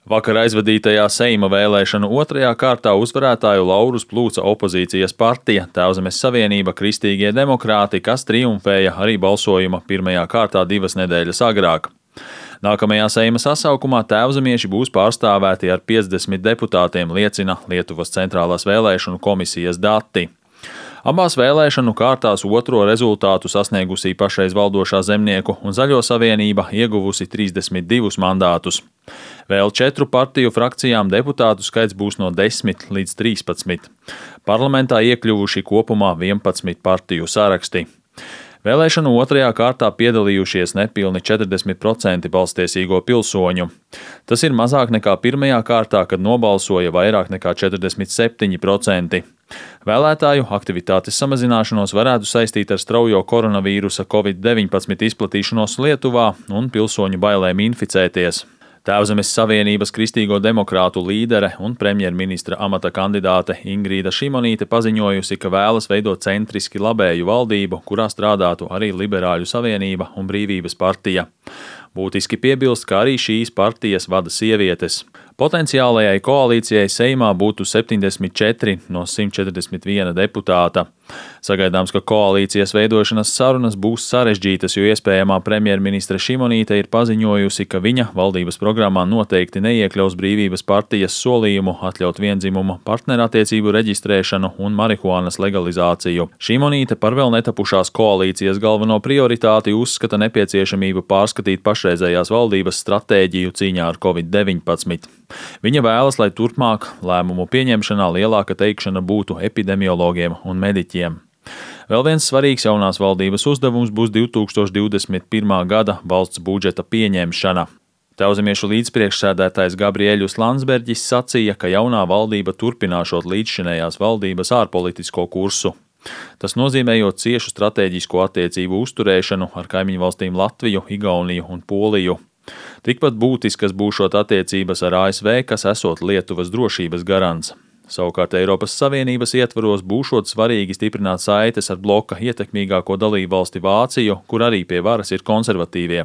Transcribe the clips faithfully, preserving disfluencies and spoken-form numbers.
Vakar aizvadītajā Seima vēlēšanu otrajā kārtā uzvarētāju laurus plūca opozīcijas partija Tēvzemes Savienība Kristīgie demokrāti, kas triumfēja arī balsojuma pirmajā kārtā divas nedēļas agrāk. Nākamajā Seima sasaukumā tēvzemieši būs pārstāvēti ar piecdesmit deputātiem, liecina Lietuvas centrālās vēlēšanu komisijas dati. Abās vēlēšanu kārtās otro rezultātu sasniegusī pašreiz valdošā Zemnieku un Zaļo savienība ieguvusi trīsdesmit divus mandātus. Vēl četru partiju frakcijām deputātu skaits būs no desmit līdz trīspadsmit. Parlamentā iekļuvuši kopumā vienpadsmit partiju saraksti. Vēlēšanu otrajā kārtā piedalījušies nepilni četrdesmit procenti balstiesīgo pilsoņu. Tas ir mazāk nekā pirmajā kārtā, kad nobalsoja vairāk nekā četrdesmit septiņi procenti. Vēlētāju aktivitātes samazināšanos varētu saistīt ar straujo koronavīrusa covid deviņpadsmit izplatīšanos Lietuvā un pilsoņu bailēm inficēties. Tēvzemes Savienības Kristīgo demokrātu līdere un premjerministra amata kandidāte Ingrīda Šimonīte paziņojusi, ka vēlas veidot centriski labēju valdību, kurā strādātu arī Liberāļu savienība un Brīvības partija. Būtiski piebilst, ka arī šīs partijas vada sievietes. Potenciālajai koalīcijai Seimā būtu septiņdesmit četri no simt četrdesmit viena deputāta. Sagaidāms, ka koalīcijas veidošanas sarunas būs sarežģītas, jo iespējamā premjerministre Šimonīte ir paziņojusi, ka viņa valdības programmā noteikti neiekļaus Brīvības partijas solījumu atļaut viendzimumu partnerattiecību reģistrēšanu un marihuānas legalizāciju. Šimonīte par vēl netapušās koalīcijas galveno prioritāti uzskata nepieciešamību pārskatīt pašreizējās valdības stratēģiju cīņā ar covid deviņpadsmit. Viņa vēlas, lai turpmāk lēmumu pieņemšanā lielāka teikšana būtu epidemiologiem un mediķiem. Vēl viens svarīgs jaunās valdības uzdevums būs divi tūkstoši divdesmit pirmā gada valsts budžeta pieņemšana. Tēvzemiešu līdzpriekšsēdētājs Gabriēļus Landsberģis sacīja, ka jaunā valdība turpināšot līdzšinējās valdības ārpolitisko kursu. Tas nozīmējot ciešu stratēģisko attiecību uzturēšanu ar kaimiņu valstīm Latviju, Igauniju un Poliju. Tikpat būtiskas būšot attiecības ar A S V, kas esot Lietuvas drošības garants. Savukārt Eiropas Savienības ietvaros būšot svarīgi stiprināt saites ar bloka ietekmīgāko dalībvalsti Vāciju, kur arī pie varas ir konservatīvie.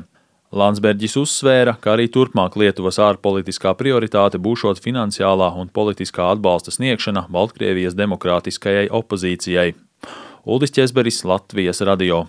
Landsberģis uzsvēra, ka arī turpmāk Lietuvas ārpolitiskā prioritāte būšot finansiālā un politiskā atbalsta sniegšana Baltkrievijas demokrātiskajai opozīcijai. Uldis Ķezberis, Latvijas radio.